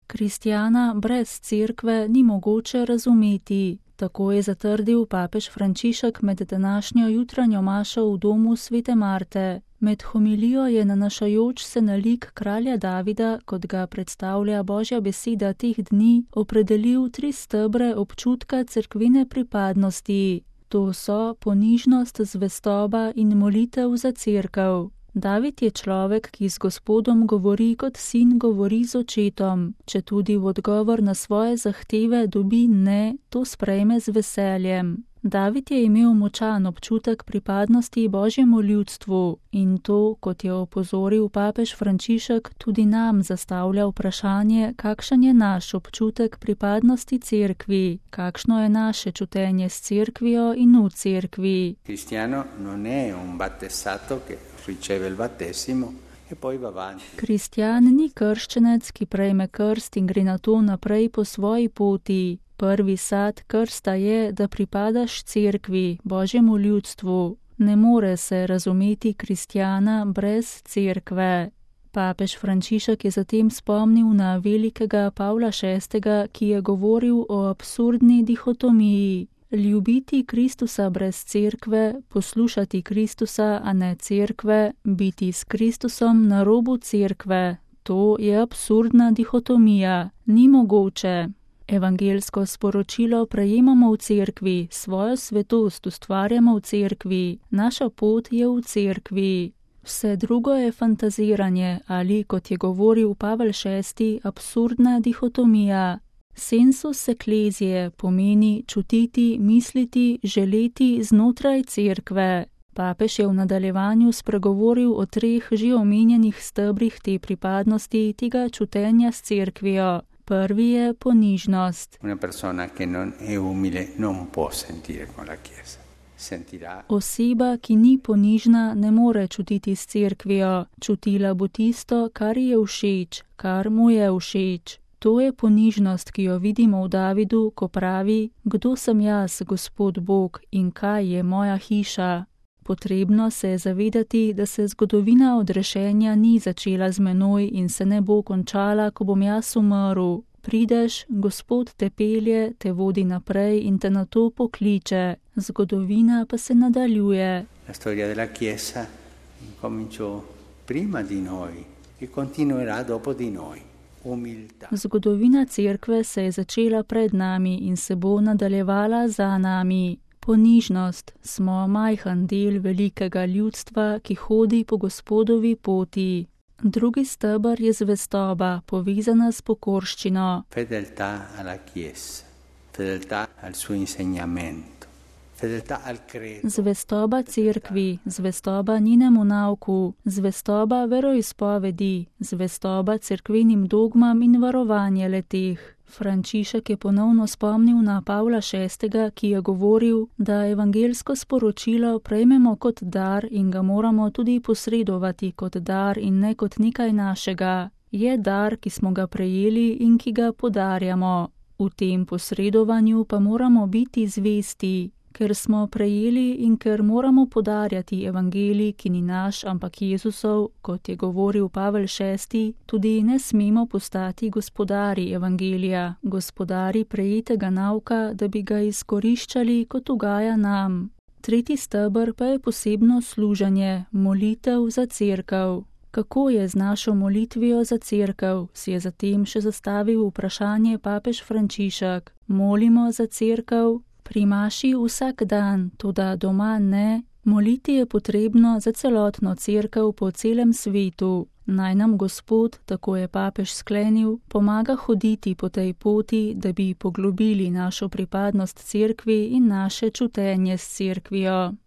Kristjana brez cerkve ni mogoče razumeti. Tako je zatrdil papež Frančišek med današnjo jutranjo mašo v domu svete Marte. Med homilijo je nanašajoč se na lik kralja Davida, kot ga predstavlja Božja beseda teh dni, opredelil 3 stebre občutka cerkvene pripadnosti. To so ponižnost, zvestoba in molitev za cerkev. David je človek, ki z Gospodom govori kot sin govori z očetom. Če tudi v odgovor na svoje zahteve dobi ne, to sprejme z veseljem. David je imel močan občutek pripadnosti Božjemu ljudstvu in to, kot je opozoril papež Frančišek, tudi nam zastavlja vprašanje, kakšen je naš občutek pripadnosti cerkvi, kakšno je naše čutenje s cerkvijo in v cerkvi. Cristiano non è un battezzato che riceve il battesimo e poi va avanti. Kristjan ni krščenec, ki prejme krst in gre nato naprej po svoji poti. Prvi sad krsta je, da pripadaš cerkvi, Božjemu ljudstvu. Ne more se razumeti kristjana brez cerkve. Papež Frančišek je zatem spomnil na velikega Pavla VI., ki je govoril o absurdni dihotomiji. Ljubiti Kristusa brez cerkve, poslušati Kristusa, a ne cerkve, biti s Kristusom na robu cerkve. To je absurdna dihotomija. Ni mogoče. Evangelsko sporočilo prejemamo v cerkvi, svojo svetost ustvarjamo v cerkvi, naša pot je v cerkvi. Vse drugo je fantaziranje ali, kot je govoril Pavel VI., absurdna dihotomija. Sensus ecclesiae pomeni čutiti, misliti, želeti znotraj cerkve. Papež je v nadaljevanju spregovoril o 3 že omenjenih stebrih te pripadnosti, tega čutenja s cerkvijo. Prvi je ponižnost. Una persona che non è umile non può sentire con la Chiesa. Sentirà. Oseba, ki ni ponižna, ne more čutiti s cerkvijo. Čutila bo tisto, kar je všeč, kar mu je všeč. To je ponižnost, ki jo vidimo v Davidu, ko pravi: Kdo sem jaz, Gospod Bog, in kaj je moja hiša? Potrebno se je zavedati, da se zgodovina odrešenja ni začela z menoj in se ne bo končala, ko bom jaz umrl. Prideš, Gospod te pelje, te vodi naprej in te nato pokliče. Zgodovina pa se nadaljuje. La storia della Chiesa cominciò prima di noi e continuerà dopo di noi. Umiltà. Zgodovina cerkve se je začela pred nami in se bo nadaljevala za nami. Ponižnost, smo majhen del velikega ljudstva, ki hodi po Gospodovi poti. Drugi steber je zvestoba, povezana s pokorščino. Fedeltà alla Chiesa, fedeltà al suo insegnamento, fedeltà al credo. Zvestoba cerkvi, zvestoba njenemu nauku, zvestoba veroizpovedi, zvestoba cerkvenim dogmam in varovanje leteh. Frančišek je ponovno spomnil na Pavla VI., ki je govoril, da evangelsko sporočilo prejmemo kot dar in ga moramo tudi posredovati kot dar in ne kot nekaj našega. Je dar, ki smo ga prejeli in ki ga podarjamo. V tem posredovanju pa moramo biti zvesti, ker smo prejeli in ker moramo podarjati evangelij, ki ni naš, ampak Jezusov, kot je govoril Pavel VI., tudi ne smemo postati gospodari evangelija, gospodari prejetega nauka, da bi ga izkoriščali, kot ugaja nam. Tretji steber pa je posebno služenje, molitev za cerkev. Kako je z našo molitvijo za cerkev, si je zatem še zastavil vprašanje papež Frančišek. Molimo za cerkev? Pri maši vsak dan, toda doma ne. Moliti je potrebno za celotno cerkev po celem svetu. Naj nam Gospod, tako je papež sklenil, pomaga hoditi po tej poti, da bi poglobili našo pripadnost cerkvi in naše čutenje s cerkvijo.